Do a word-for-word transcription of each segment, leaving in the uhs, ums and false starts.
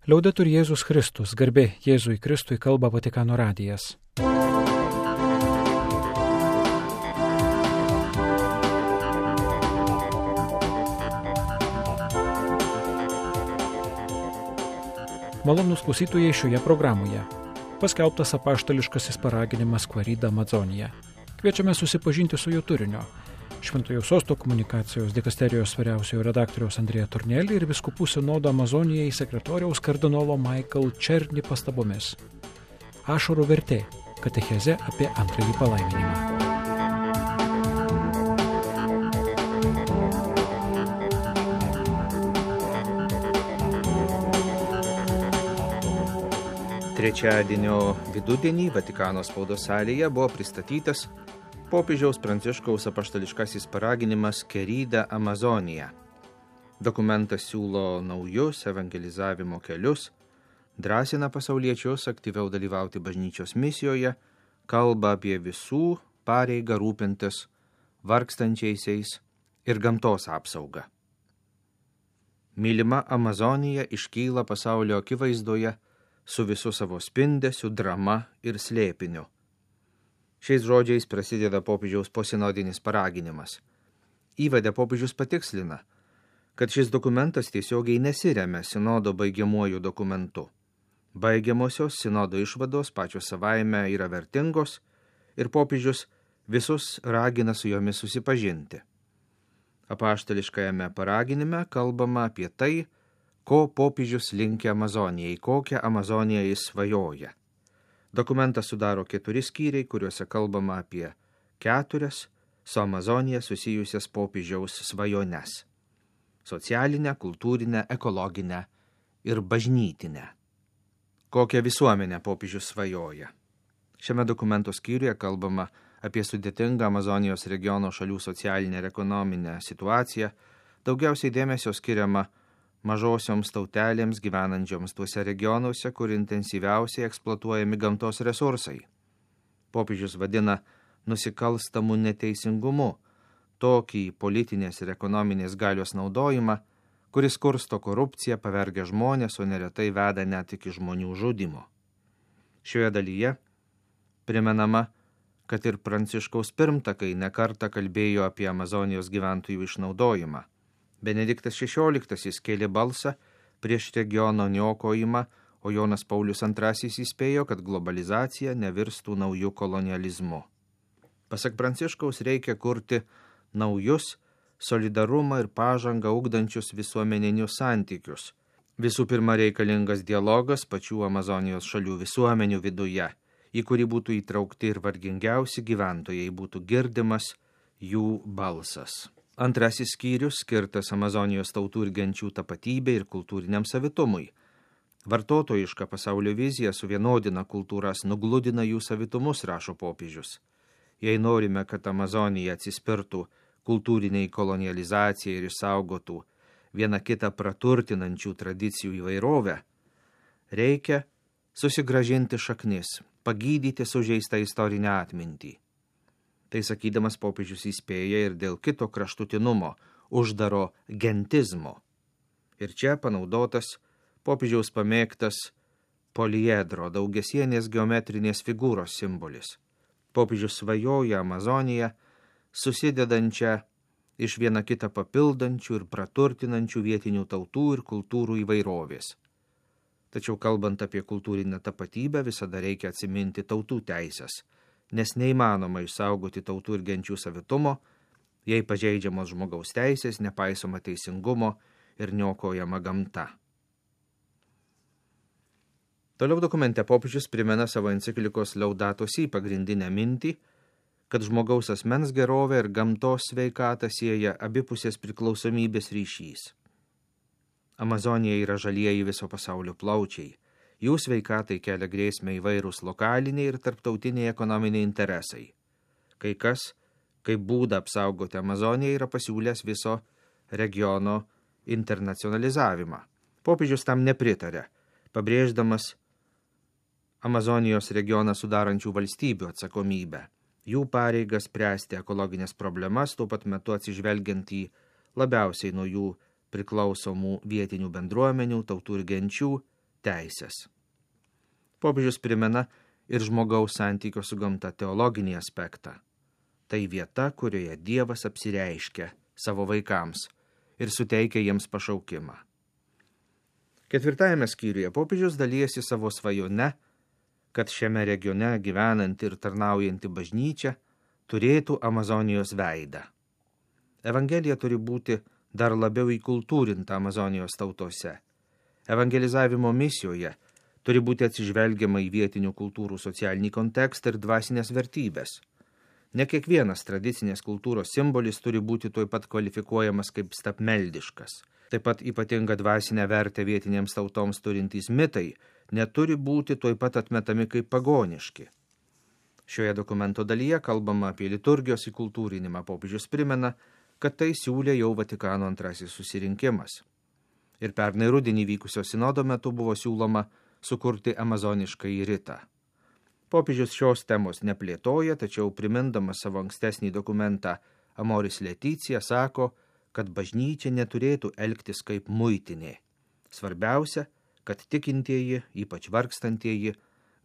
Liaudetur Jėzus Kristus, garbė Jėzui Kristui, kalba Vatikano radijas. Malonūs klausytojai, šioje programoje paskelbtas apaštališkasis paraginimas Quaerida Amazonia. Kviečiame susipažinti su jo turinio. Šventojo Sosto komunikacijos dikasterijos vyriausiojo redaktoriaus Andrėja Tornelį ir vyskupų sinodo Amazonijai sekretoriaus kardinolo Michael Černy pastabomis. Ašarų vertė – katechezė apie antrąjį palaiminimą. Trečiadienio vidudienį Vatikano spaudos salėje buvo pristatytas popiežiaus Pranciškaus apaštališkasis paraginimas Quaerida Amazonia. Dokumentas siūlo naujus evangelizavimo kelius, drąsina pasauliečius aktyviau dalyvauti bažnyčios misijoje, kalba apie visų pareigą rūpintis vargstančiaisiais ir gamtos apsaugą. Mylima Amazonija iškyla pasaulio akivaizdoje su visu savo spindesiu, drama ir slėpiniu. Šiais žodžiais prasideda popiežiaus posinodinis paraginimas. Įvade popiežius patikslina, kad šis dokumentas tiesiogiai nesiremia sinodo baigiamuoju dokumentu. Baigiamosios sinodo išvados pačios savaime yra vertingos ir popiežius visus ragina su jomis susipažinti. Apaštališkajame paraginime kalbama apie tai, ko popiežius linkia Amazonijai, kokią Amazoniją jis svajoja. Dokumentą sudaro keturi skyriai, kuriuose kalbama apie keturias su Amazonija susijusias popiežiaus svajones – socialinę, kultūrinę, ekologinę ir bažnytinę. Kokią visuomenę popiežius svajoja? Šiame dokumento skyriuje kalbama apie sudėtingą Amazonijos regiono šalių socialinę ir ekonominę situaciją, daugiausiai dėmesio skiriama mažosioms tautelėms gyvenančioms tuose regionuose, kur intensyviausiai eksploatuojami gamtos resursai. Popiežius vadina nusikalstamu neteisingumu tokį politinės ir ekonominės galios naudojimą, kuris kursto korupciją, pavergia žmonės, o neretai veda net iki žmonių žudimo. Šioje dalyje primenama, kad ir Pranciškaus pirmtakai nekartą kalbėjo apie Amazonijos gyventojų išnaudojimą. Benediktas šešioliktasis kėlė balsą prieš regiono niokojimą, o Jonas Paulius antrasis įspėjo, kad globalizacija nevirstų naujų kolonializmu. Pasak Pranciškaus reikia kurti naujus solidarumą ir pažangą ugdančius visuomeninius santykius. Visų pirma reikalingas dialogas pačių Amazonijos šalių visuomenių viduje, į kurį būtų įtraukti ir vargingiausi gyventojai, būtų girdimas jų balsas. Antrasis skyrius skirtas Amazonijos tautų ir genčių tapatybei ir kultūriniam savitumui. Vartotojiška pasaulio vizija suvienodina kultūras, nugludina jų savitumus, rašo popiežius. Jei norime, kad Amazonija atsispirtų kultūriniai kolonializacijai ir išsaugotų vieną kitą praturtinančių tradicijų įvairovę, reikia susigrąžinti šaknis, pagydyti sužeistą istorinę atmintį. Tai sakydamas popiežius įspėja ir dėl kito kraštutinumo, uždaro gentizmo. Ir čia panaudotas popiežiaus pamėgtas poliedro, daugiasienės geometrinės figūros simbolis. Popiežius svajoja Amazoniją, susidedančią iš vieną kitą papildančių ir praturtinančių vietinių tautų ir kultūrų įvairovės. Tačiau kalbant apie kultūrinę tapatybę, visada reikia atsiminti tautų teisės, nes neįmanoma išsaugoti tautų ir genčių savitumo, jei pažeidžiamos žmogaus teisės, nepaisoma teisingumo ir niokojama gamta. Toliau dokumente popiežius primena savo enciklikos Laudato Si pagrindinę mintį, kad žmogaus asmens gerovė ir gamtos sveikatą sieja abipusės priklausomybės ryšys. Amazonija yra žalieji viso pasaulio plaučiai. Jų sveikatai kelia grėsmę įvairūs lokaliniai ir tarptautiniai ekonominiai interesai. Kai kas, kaip būdą apsaugoti Amazoniją, yra pasiūlęs viso regiono internacionalizavimą. Popiežius tam nepritarė, pabrėždamas Amazonijos regioną sudarančių valstybių atsakomybę, jų pareigas spręsti ekologinės problemas, tuo pat metu atsižvelgiant į labiausiai nuo jų priklausomų vietinių bendruomenių, tautų ir genčių teisės. Popiežius primena ir žmogaus santykio su gamta teologinį aspektą. Tai vieta, kurioje Dievas apsireiškia savo vaikams ir suteikia jiems pašaukimą. Ketvirtajame skyriuje popiežius dalijasi savo svajone, kad šiame regione gyvenanti ir tarnaujanti bažnyčia turėtų Amazonijos veidą. Evangelija turi būti dar labiau įkultūrinta Amazonijos tautose. Evangelizavimo misijoje turi būti atsižvelgiama į vietinių kultūrų socialinį kontekstą ir dvasinės vertybės. Ne kiekvienas tradicinės kultūros simbolis turi būti tuoj pat kvalifikuojamas kaip stabmeldiškas. Taip pat ypatinga dvasinę vertę vietinėms tautoms turintys mitai neturi būti tuoj pat atmetami kaip pagoniški. Šioje dokumento dalyje kalbama apie liturgijos įkultūrinimą. Popiežius primena, kad tai siūlė jau Vatikano antrasis susirinkimas. Ir pernai rudenį vykusio sinodo metu buvo siūloma sukurti amazoniškąjį ritą. Popiežius šios temos neplėtoja, tačiau primindamas savo ankstesnį dokumentą Amoris Laetitia sako, kad bažnyčia neturėtų elgtis kaip muitinė. Svarbiausia, kad tikintieji, ypač vargstantieji,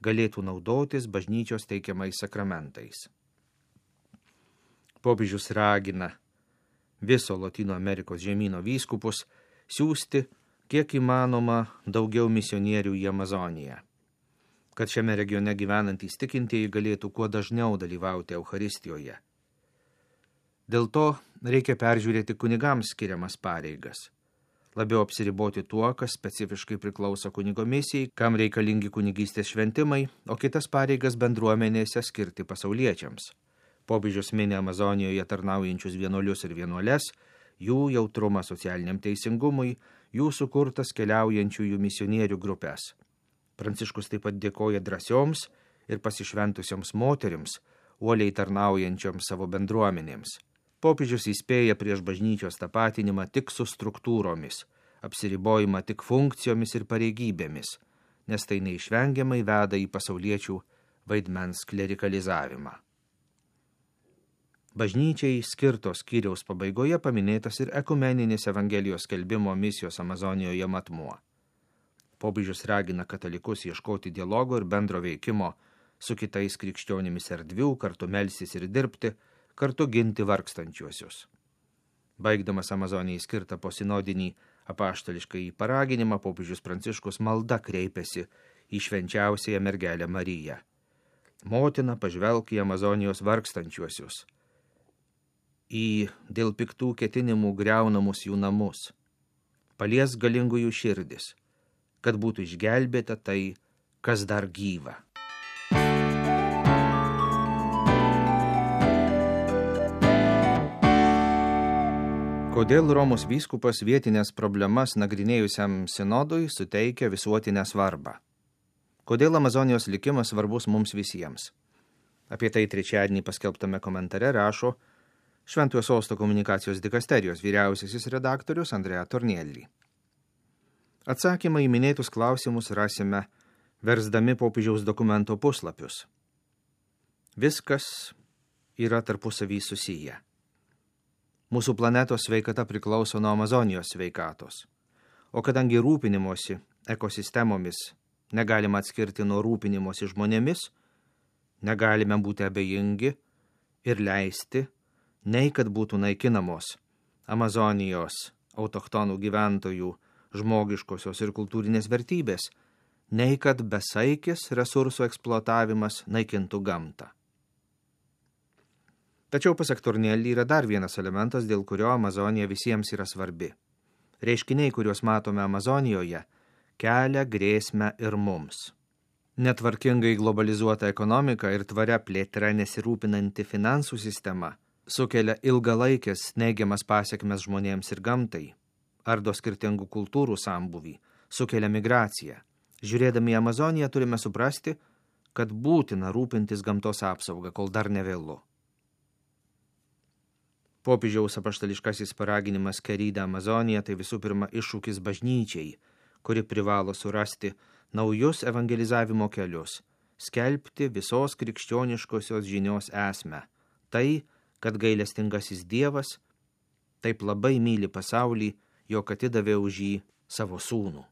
galėtų naudotis bažnyčios teikiamais sakramentais. Popiežius ragina viso Lotynų Amerikos žemyno vyskupus siųsti kiek įmanoma daugiau misionierių į Amazoniją, kad šiame regione gyvenantys tikintieji galėtų kuo dažniau dalyvauti Eucharistijoje. Dėl to reikia peržiūrėti kunigams skiriamas pareigas, labiau apsiriboti tuo, kas specifiškai priklauso kunigo misijai, kam reikalingi kunigystės šventimai, o kitas pareigas bendruomenėse skirti pasauliečiams. Popiežius mini Amazonijoje tarnaujančius vienuolius ir vienuoles, jų jautrumą socialiniam teisingumui, jų sukurtas keliaujančiųjų misionierių grupės. Pranciškus taip pat dėkoja drąsioms ir pasišventusioms moterims, uoliai tarnaujančioms savo bendruomenėms. Popiežius įspėja prieš bažnyčios tapatinimą tik su struktūromis, apsiribojimą tik funkcijomis ir pareigybėmis, nes tai neišvengiamai veda į pasauliečių vaidmens klerikalizavimą. Bažnyčiai skirtos skyriaus pabaigoje paminėtas ir ekumeninis Evangelijos skelbimo misijos Amazonijoje matmuo. Popiežius ragina katalikus ieškoti dialogo ir bendro veikimo su kitais krikščionimis erdvių, kartu melstis ir dirbti, kartu ginti vargstančiuosius. Baigdamas Amazonijai skirtą posinodinį apaštališkąjį paraginimą, popiežius Pranciškus malda kreipiasi į švenčiausiąją mergelę Mariją. Motina, pažvelk į Amazonijos vargstančiuosius, į dėl piktų ketinimų griaunamus jų namus. Palies galingųjų širdis, kad būtų išgelbėta tai, kas dar gyva. Kodėl Romos vyskupas vietinės problemas nagrinėjusiam sinodui suteikia visuotinę svarbą? Kodėl Amazonijos likimas svarbus mums visiems? Apie tai trečiadienį paskelbtame komentare rašo Šventojo Sosto komunikacijos dikasterijos vyriausiasis redaktorius Andrea Tornielli. Atsakymą į minėtus klausimus rasime versdami popiežiaus dokumento puslapius. Viskas yra tarpusavy susiję. Mūsų planetos sveikata priklauso nuo Amazonijos sveikatos, o kadangi rūpinimosi ekosistemomis negalima atskirti nuo rūpinimosi žmonėmis, negalime būti abejingi ir leisti, nei kad būtų naikinamos Amazonijos autochtonų gyventojų žmogiškosios ir kultūrinės vertybės, nei kad besaikis resursų eksploatavimas naikintų gamtą. Tačiau pasak Tornielli yra dar vienas elementas, dėl kurio Amazonija visiems yra svarbi. Reiškiniai, kuriuos matome Amazonijoje, kelia grėsmę ir mums. Netvarkingai globalizuota ekonomika ir tvaria plėtra nesirūpinanti finansų sistema sukelia ilgalaikės neigiamas pasekmes žmonėms ir gamtai, ardo skirtingų kultūrų sambūvį, sukelia migraciją. Žiūrėdami į Amazoniją turime suprasti, kad būtina rūpintis gamtos apsaugą, kol dar nevėlu. Popiežiaus apaštališkasis paraginimas Querida Amazonija tai visų pirma iššūkis bažnyčiai, kuri privalo surasti naujus evangelizavimo kelius, skelbti visos krikščioniškosios žinios esmę. Tai, kad gailestingasis Dievas taip labai myli pasaulį, jog atidavė už jį savo sūnų.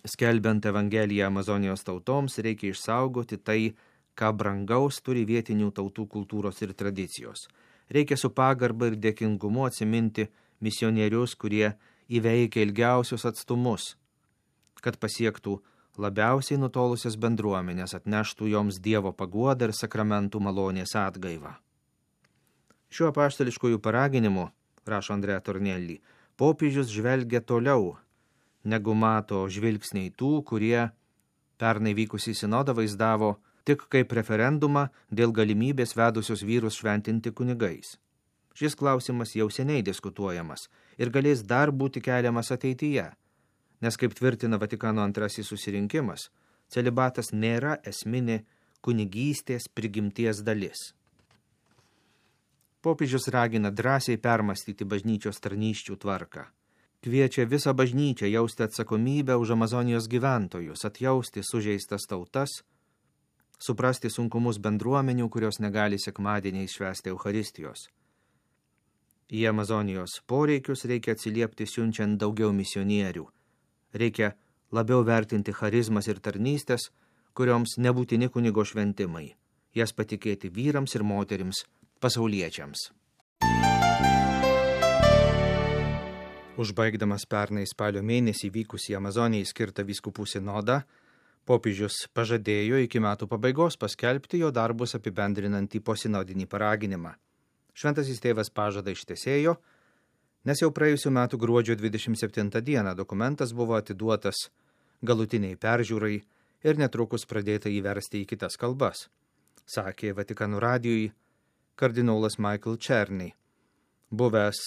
Skelbiant Evangeliją Amazonijos tautoms, reikia išsaugoti tai, ką brangaus turi vietinių tautų kultūros ir tradicijos. Reikia su pagarba ir dėkingumu atsiminti misionierius, kurie įveikia ilgiausius atstumus, kad pasiektų labiausiai nutolusias bendruomenės, atneštų joms Dievo paguodą ir sakramentų malonės atgaivą. Šiuo apaštališkųjų paraginimu, rašo Andrea Tornelli, popiežius žvelgia toliau, negu mato žvilgsniai tų, kurie pernai vykusį sinodą vaizdavo tik kaip referendumą dėl galimybės vedusios vyrus šventinti kunigais. Šis klausimas jau seniai diskutuojamas ir galės dar būti keliamas ateityje, nes, kaip tvirtina Vatikano antrasis susirinkimas, celibatas nėra esminė kunigystės prigimties dalis. Popiežius ragina drąsiai permastyti bažnyčios tarnysčių tvarką. Kviečia visą bažnyčią jausti atsakomybę už Amazonijos gyventojus, atjausti sužeistas tautas, suprasti sunkumus bendruomenių, kurios negali sekmadieniais švęsti Eucharistijos. Į Amazonijos poreikius reikia atsiliepti siunčiant daugiau misionierių. Reikia labiau vertinti charizmas ir tarnystės, kurioms nebūtini kunigo šventimai, jas patikėti vyrams ir moterims, pasauliečiams. Užbaigdamas pernai spalio mėnesį vykusį Amazonijai skirtą vyskupų sinodą, popiežius pažadėjo iki metų pabaigos paskelbti jo darbus apibendrinantį posinodinį paraginimą. Šventasis tėvas pažadą ištesėjo, nes jau praėjusių metų gruodžio dvidešimt septintą dieną dokumentas buvo atiduotas galutiniai peržiūrai ir netrukus pradėta įversti į kitas kalbas, sakė Vatikano radijui kardinolas Michael Černy, buvęs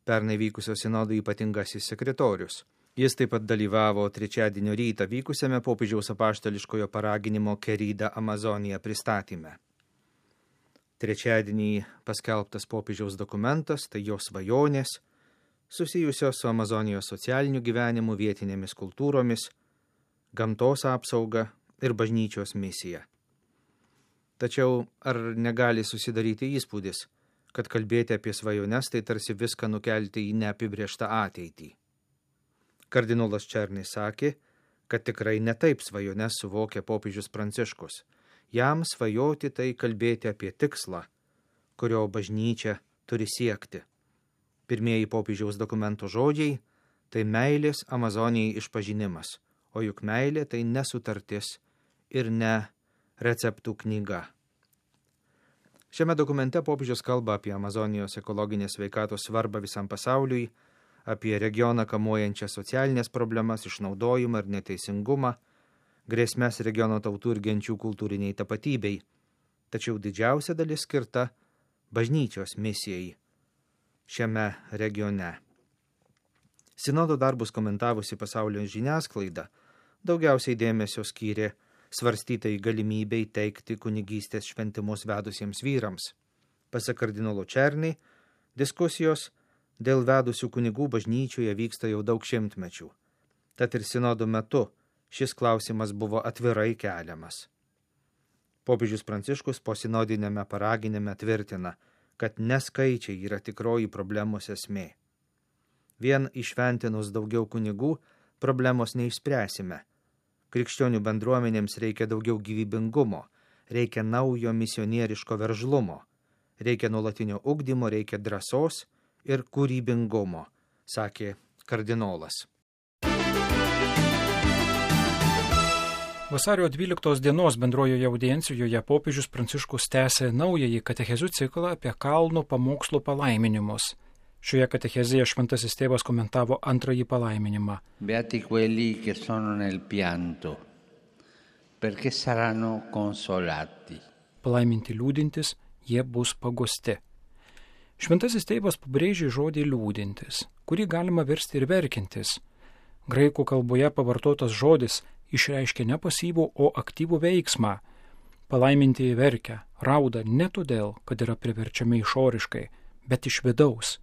pernai vykusio sinodo ypatingasis sekretorius. Jis taip pat dalyvavo trečiadienio rytą vykusiame popiežiaus apaštališkojo paraginimo Querida Amazonija pristatyme. Trečiadienį paskelbtas popiežiaus dokumentas, tai jo svajonės, susijusios su Amazonijos socialiniu gyvenimu, vietinėmis kultūromis, gamtos apsauga ir bažnyčios misija. Tačiau ar negali susidaryti įspūdis, kad kalbėti apie svajones tai tarsi viską nukelti į neapibrėžtą ateitį? Kardinolas Černy sakė, kad tikrai netaip svajones suvokia popiežius Pranciškus. Jam svajoti tai kalbėti apie tikslą, kurio bažnyčia turi siekti. Pirmieji popiežiaus dokumento žodžiai – tai meilės Amazonijai išpažinimas, o juk meilė tai nesutartis ir ne receptų knyga. Šiame dokumente popiežius kalba apie Amazonijos ekologinės sveikatos svarbą visam pasauliui, apie regioną kamuojančias socialinės problemas, išnaudojimą ir neteisingumą, grėsmes regiono tautų ir genčių kultūriniai tapatybei, tačiau didžiausia dalis skirta bažnyčios misijai šiame regione. Sinodo darbus komentavusi pasaulio žiniasklaida daugiausiai dėmesio skyrė svarstytai galimybei teikti kunigystės šventimus vedusiems vyrams. Pasak kardinolo Černy, diskusijos dėl vedusių kunigų bažnyčioje vyksta jau daug šimtmečių. Tad ir sinodo metu šis klausimas buvo atvirai keliamas. Popiežius Pranciškus posinodinėme paraginime tvirtina, kad neskaičiai yra tikroji problemos esmė. Vien išventinus daugiau kunigų problemos neišspręsime. Krikščionių bendruomenėms reikia daugiau gyvybingumo, reikia naujo misionieriško veržlumo, reikia nuolatinio ugdymo, reikia drąsos ir kūrybingumo, sakė kardinolas. Vasario dvyliktos dienos bendrojoje audiencijoje popiežius Pranciškus tęsė naująjį katechezių ciklą apie kalno pamokslų palaiminimus. Šioje katechezėje šventasis tėvas komentavo antrąjį palaiminimą. Beati quelli che sono nel pianto, perché saranno consolati. Palaiminti liūdintis, jie bus paguosti. Šventasis tėvas pabrėžė žodį liūdintis, kurį galima versti ir verkintis. Graikų kalboje pavartotas žodis išreiškia ne pasyvų, o aktyvų veiksmą. Palaimintieji verkia, rauda ne todėl, kad yra priverčiami išoriškai, bet iš vidaus.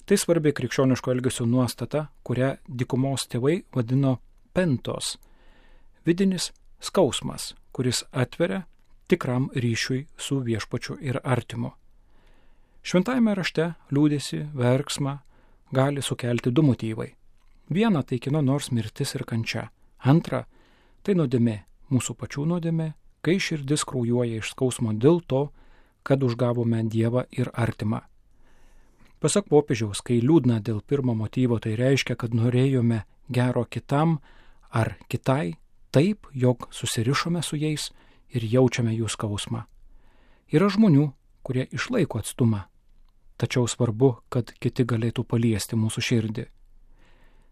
Tai svarbi krikščioniško elgesio nuostata, kurią dykumos tėvai vadino pentos. Vidinis skausmas, kuris atveria tikram ryšiui su viešpačiu ir artimu. Šventajame rašte liūdesį, verksmą gali sukelti du motyvai. Viena tai kieno nors mirtis ir kančia, Antra, tai nuodėmė, mūsų pačių nuodėmė, kai širdis kraujuoja iš skausmo dėl to, kad užgavome Dievą ir artimą. Pasak popiežiaus, kai liūdna dėl pirmo motyvo, tai reiškia, kad norėjome gero kitam ar kitai taip, jog susirišome su jais ir jaučiame jų skausmą. Yra žmonių, kurie išlaiko atstumą, tačiau svarbu, kad kiti galėtų paliesti mūsų širdį.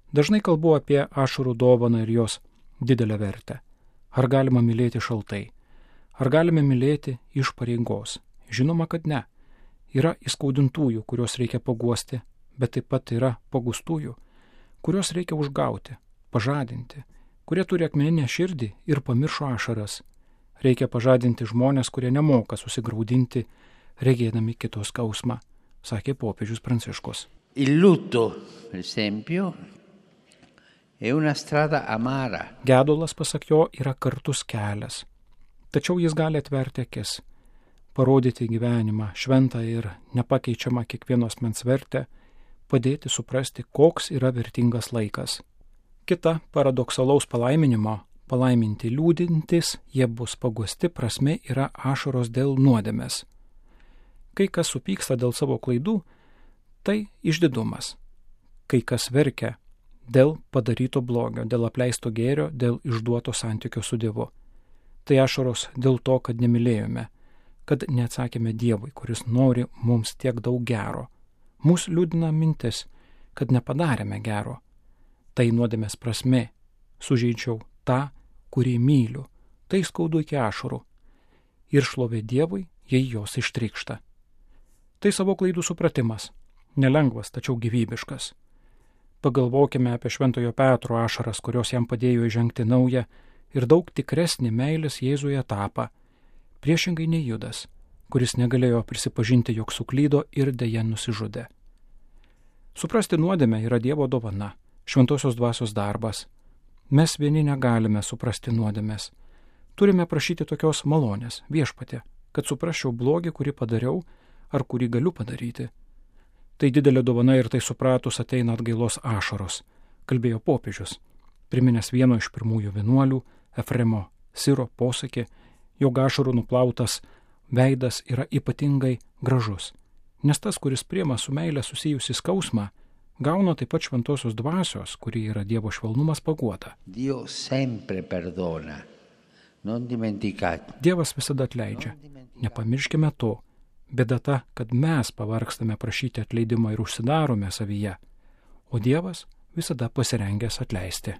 Dažnai kalbu apie ašarų dovaną ir jos didelę vertę. Ar galima mylėti šaltai? Ar galime mylėti iš pareigos? Žinoma, kad ne. Yra įskaudintųjų, kuriuos reikia paguosti, bet taip pat yra pagustųjų, kuriuos reikia užgauti, pažadinti, kurie turi akmeninę širdį ir pamiršo ašaras. Reikia pažadinti žmonės, kurie nemoka susigraudinti, regėdami kito skausmą, sakė popiežius Pranciškus. Il lutto, per esempio, è una strada amara. Gedulas, pasak jo, yra kartus kelias, tačiau jis gali atverti akis, parodyti gyvenimą šventą ir nepakeičiamą kiekvieno asmens vertę, padėti suprasti, koks yra vertingas laikas. Kita paradoksalaus palaiminimo, palaiminti liūdintis, jie bus paguosti prasme yra ašaros dėl nuodėmės. Kai kas supyksta dėl savo klaidų, tai išdidumas. Kai kas verkia dėl padaryto blogio, dėl apleisto gėrio, dėl išduoto santykio su Dievu. Tai ašaros dėl to, kad nemylėjome, kad neatsakėme Dievui, kuris nori mums tiek daug gero. Mūsų liūdina mintis, kad nepadarėme gero. Tai nuodėmės prasme, sužeidžiau tą, kurį myliu, tai skaudu iki ašarų. Ir šlovė Dievui, jei jos ištrykšta. Tai savo klaidų supratimas, nelengvas, tačiau gyvybiškas. Pagalvokime apie Šventojo Petro ašaras, kurios jam padėjo įžengti naują ir daug tikresnį meilės Jėzuje etapą, priešingai nei Judas, kuris negalėjo prisipažinti, jog suklydo ir deja nusižudė. Suprasti nuodėmę yra Dievo dovana, šventosios dvasios darbas. Mes vieni negalime suprasti nuodėmės. Turime prašyti tokios malonės, Viešpatie, kad suprasčiau blogį, kurį padariau ar kurį galiu padaryti. Tai didelė dovana ir tai supratus ateina atgailos ašaros, kalbėjo popiežius, priminęs vieno iš pirmųjų vienuolių, Efremo Siro posakį, jog ašarų nuplautas veidas yra ypatingai gražus, nes tas, kuris priima su meile susijusi skausmą, gauna taip pat šventosios dvasios, kuri yra Dievo švelnumas, paguoda. Dio sempre perdona, non dimenticate. Dievas visada atleidžia, nepamirškime to. Bėda ta, kad mes pavargstame prašyti atleidimą ir užsidarome savyje, o Dievas visada pasirengęs atleisti.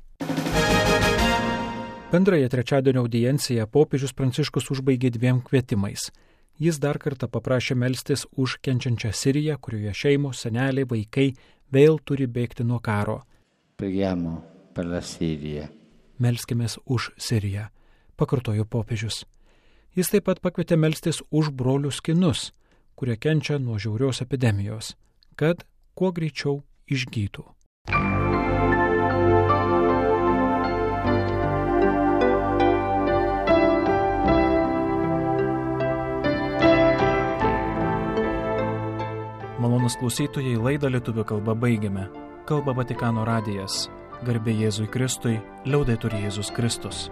Bendrąją trečiadienio audienciją popiežius Pranciškus užbaigė dviem kvietimais. Jis dar kartą paprašė melstis už kenčiančią Siriją, kurioje šeimos, seneliai, vaikai vėl turi bėgti nuo karo. Preghiamo per la Siria. Melskimės už Siriją, pakartojo popiežius. Jis taip pat pakvietė melstis už brolius kinus, kurie kenčia nuo žiaurios epidemijos, kad kuo greičiau išgytų. Malonus klausytojai, laidą lietuvių kalba baigiame. Kalba Vatikano radijas. Garbė Jėzui Kristui, liaudetur Jėzus Kristus.